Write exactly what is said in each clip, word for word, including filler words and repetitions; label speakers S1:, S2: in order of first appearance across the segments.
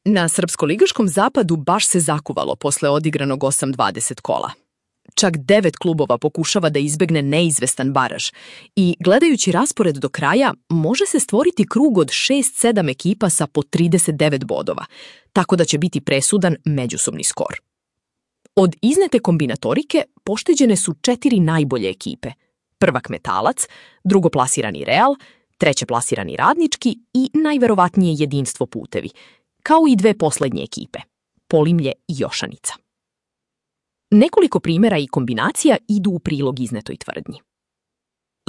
S1: Na srpsko-ligaškom zapadu baš se zakuvalo posle odigranog osam dvadeset kola. Čak devet klubova pokušava da izbegne neizvestan baraž i, gledajući raspored do kraja, može se stvoriti krug od šest sedam ekipa sa po trideset devet bodova, tako da će biti presudan međusobni skor. Od iznete kombinatorike pošteđene su četiri najbolje ekipe. Prvak Metalac, drugoplasirani Real, trećeplasirani Radnički i najverovatnije Jedinstvo Putevi, kao i dve poslednje ekipe, Polimlje i Jošanica. Nekoliko primjera i kombinacija idu u prilog iznetoj tvrdnji.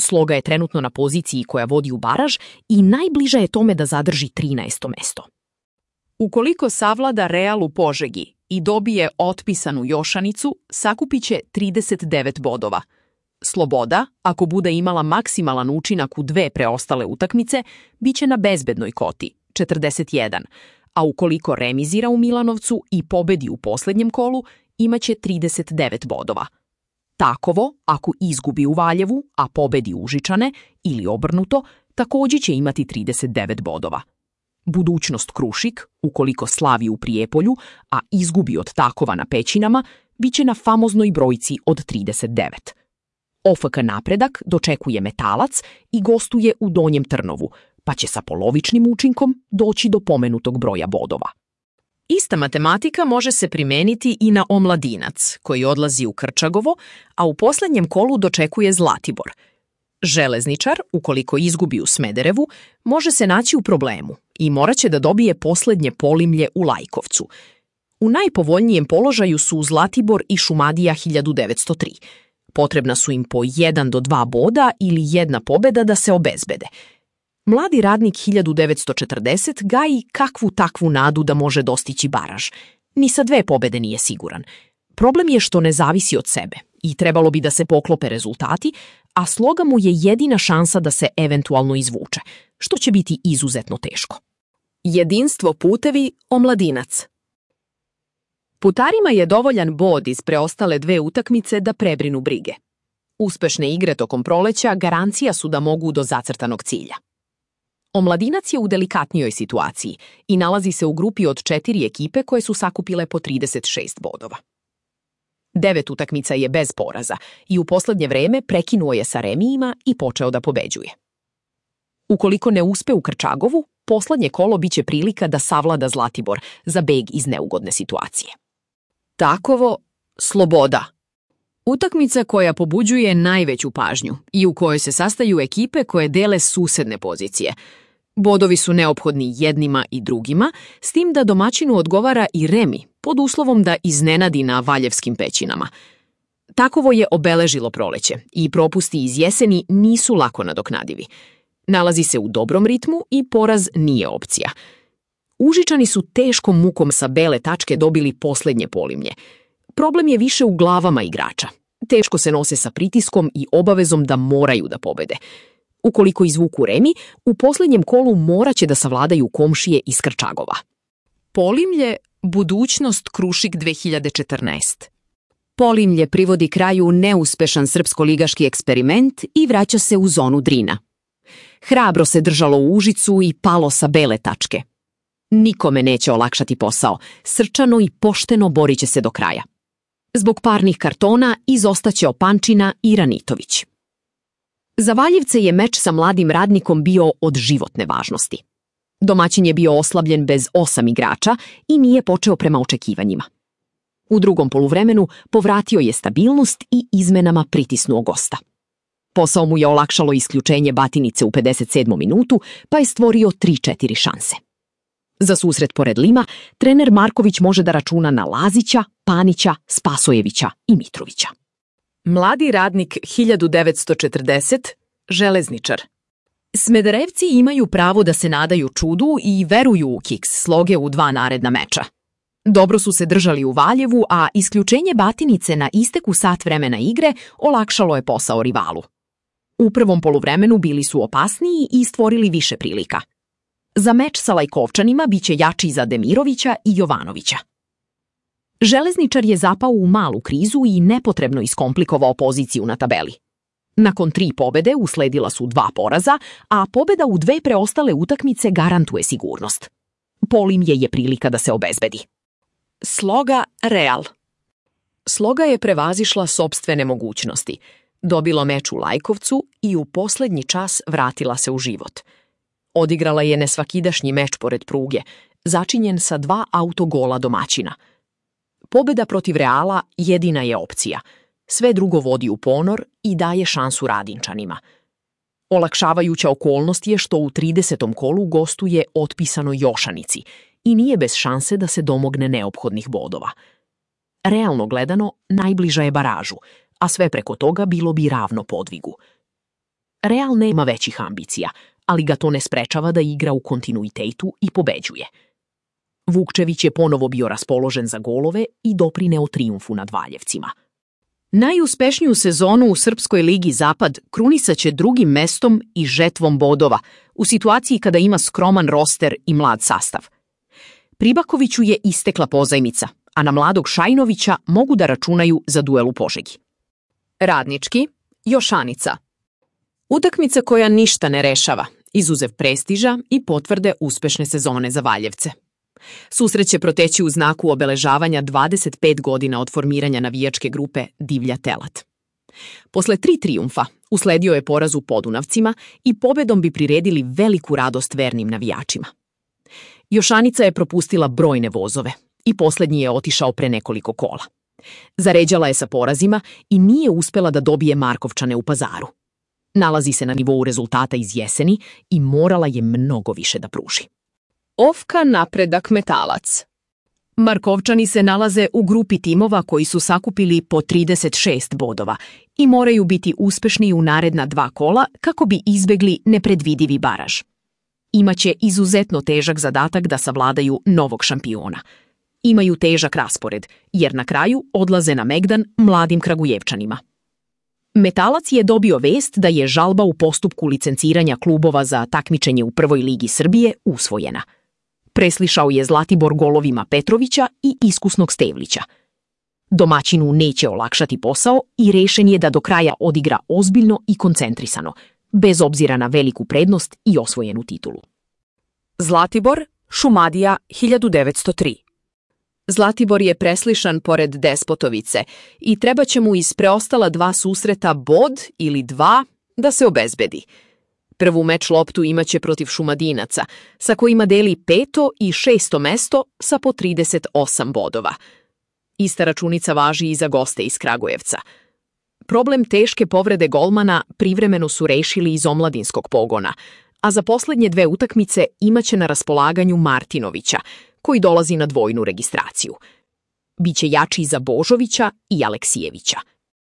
S1: Sloga je trenutno na poziciji koja vodi u baraž i najbliža je tome da zadrži trinaesto mesto.
S2: Ukoliko savlada Real u Požegi i dobije otpisanu Jošanicu, sakupit će trideset devet bodova. Sloboda, ako bude imala maksimalan učinak u dve preostale utakmice, bit će na bezbednoj koti, četrdeset jedan, a ukoliko remizira u Milanovcu i pobedi u posljednjem kolu, imaće trideset devet bodova. Takovo, ako izgubi u Valjevu, a pobedi Užičane, ili obrnuto, također će imati trideset devet bodova. Budućnost Krušik, ukoliko slavi u Prijepolju, a izgubi od Takova na Pećinama, bit će na famoznoj brojci od trideset devet. O F K Napredak dočekuje Metalac i gostuje u Donjem Trnovu, pa će sa polovičnim učinkom doći do pomenutog broja bodova.
S1: Ista matematika može se primeniti i na Omladinac, koji odlazi u Krčagovo, a u posljednjem kolu dočekuje Zlatibor. Železničar, ukoliko izgubi u Smederevu, može se naći u problemu i morat će da dobije posljednje Polimlje u Lajkovcu. U najpovoljnijem položaju su Zlatibor i Šumadija hiljadu devetsto tri. Potrebna su im po jedan do dva boda ili jedna pobeda da se obezbede. Mladi Radnik hiljadu devetsto četrdeset gaji kakvu takvu nadu da može dostići baraž. Ni sa dve pobede nije siguran. Problem je što ne zavisi od sebe i trebalo bi da se poklope rezultati, a Sloga mu je jedina šansa da se eventualno izvuče, što će biti izuzetno teško. Jedinstvo Putevi, Omladinac. Putarima je dovoljan bod iz preostale dve utakmice da prebrinu brige. Uspešne igre tokom proleća garancija su da mogu do zacrtanog cilja. Omladinac je u delikatnijoj situaciji i nalazi se u grupi od četiri ekipe koje su sakupile po trideset šest bodova. Devet utakmica je bez poraza i u posljednje vreme prekinuo je sa remijima i počeo da pobeđuje. Ukoliko ne uspe u Krčagovu, posljednje kolo biće prilika da savlada Zlatibor za beg iz neugodne situacije. Takovo, Sloboda. Utakmica koja pobuđuje najveću pažnju i u kojoj se sastaju ekipe koje dele susedne pozicije. Bodovi su neophodni jednima i drugima, s tim da domaćinu odgovara i remi, pod uslovom da iznenadi na Valjevskim Pećinama. Takovo je obeležilo proleće i propusti iz jeseni nisu lako nadoknadivi. Nalazi se u dobrom ritmu i poraz nije opcija. Užičani su teškom mukom sa bele tačke dobili posljednje Polimlje. Problem je više u glavama igrača. Teško se nose sa pritiskom i obavezom da moraju da pobede. Ukoliko izvuku remi, u posljednjem kolu moraće da savladaju komšije iz Krčagova.
S2: Polimlje, budućnost Krušik dve hiljade četrnaest.
S3: Polimlje privodi kraju neuspešan srpsko-ligaški eksperiment i vraća se u zonu Drina. Hrabro se držalo u Užicu i palo sa bele tačke. Nikome neće olakšati posao, srčano i pošteno borit će se do kraja. Zbog parnih kartona izostaće Opančina i Ranitović. Za Valjevce je meč sa mladim Radnikom bio od životne važnosti. Domaćin je bio oslabljen bez osam igrača i nije počeo prema očekivanjima. U drugom poluvremenu povratio je stabilnost i izmenama pritisnuo gosta. Posao mu je olakšalo isključenje Batinice u pedeset sedmom minutu, pa je stvorio tri četiri šanse. Za susret pored Lima, trener Marković može da računa na Lazića, Panića, Spasojevića i Mitrovića.
S1: Mladi Radnik hiljadu devetsto četrdeset, Železničar. Smederevci imaju pravo da se nadaju čudu i veruju u kiks Sloge u dva naredna meča. Dobro su se držali u Valjevu, a isključenje Batinice na isteku sat vremena igre olakšalo je posao rivalu. U prvom poluvremenu bili su opasniji i stvorili više prilika. Za meč sa Lajkovčanima biće jači za Demirovića i Jovanovića. Železničar je zapao u malu krizu i nepotrebno iskomplikovao poziciju na tabeli. Nakon tri pobede usledila su dva poraza, a pobeda u dve preostale utakmice garantuje sigurnost. Polimje je prilika da se obezbedi.
S2: Sloga Real.
S1: Sloga je prevazišla sopstvene mogućnosti, dobila meč u Lajkovcu i u poslednji čas vratila se u život. Odigrala je nesvakidašnji meč pored pruge, začinjen sa dva autogola domaćina. Pobeda protiv Reala jedina je opcija. Sve drugo vodi u ponor i daje šansu Radinčanima. Olakšavajuća okolnost je što u tridesetom kolu gostuje otpisanoj Jošanici i nije bez šanse da se domogne neophodnih bodova. Realno gledano, najbliža je baražu, a sve preko toga bilo bi ravno podvigu. Real nema većih ambicija, ali ga to ne sprečava da igra u kontinuitetu i pobeđuje. Vukčević je ponovo bio raspoložen za golove i doprineo trijumfu nad Valjevcima.
S2: Najuspešniju sezonu u Srpskoj ligi Zapad krunisaće drugim mestom i žetvom bodova u situaciji kada ima skroman roster i mlad sastav. Pribakoviću je istekla pozajmica, a na mladog Šajnovića mogu da računaju za duel u Požegi.
S1: Radnički, Jošanica. Utakmica koja ništa ne rešava, izuzev prestiža i potvrde uspešne sezone za Valjevce. Susret će proteći u znaku obeležavanja dvadeset pet godina od formiranja navijačke grupe Divlja Telat. Posle tri trijumfa usledio je poraz u Podunavcima i pobedom bi priredili veliku radost vernim navijačima. Jošanica je propustila brojne vozove i poslednji je otišao pre nekoliko kola. Zaređala je sa porazima i nije uspela da dobije Markovčane u Pazaru. Nalazi se na nivou rezultata iz jeseni i morala je mnogo više da pruži.
S2: Ofka Napredak Metalac. Markovčani se nalaze u grupi timova koji su sakupili po trideset šest bodova i moraju biti uspešni u naredna dva kola kako bi izbegli nepredvidivi baraž. Imaće izuzetno težak zadatak da savladaju novog šampiona. Imaju težak raspored, jer na kraju odlaze na Megdan mladim Kragujevčanima. Metalac je dobio vest da je žalba u postupku licenciranja klubova za takmičenje u Prvoj ligi Srbije usvojena. Preslišao je Zlatibor golovima Petrovića i iskusnog Stevlića. Domaćinu neće olakšati posao i rešen je da do kraja odigra ozbiljno i koncentrisano, bez obzira na veliku prednost i osvojenu titulu.
S1: Zlatibor, Šumadija hiljadu devetsto tri. Zlatibor je preslišan pored Despotovice i treba će mu iz preostala dva susreta bod ili dva da se obezbedi. Prvu meč loptu imaće protiv Šumadinaca, sa kojima deli peto i šesto mesto sa po trideset osam bodova. Ista računica važi i za goste iz Kragujevca. Problem teške povrede golmana privremeno su rešili iz omladinskog pogona, a za poslednje dve utakmice imaće na raspolaganju Martinovića, koji dolazi na dvojnu registraciju. Biće jači za Božovića i Aleksijevića.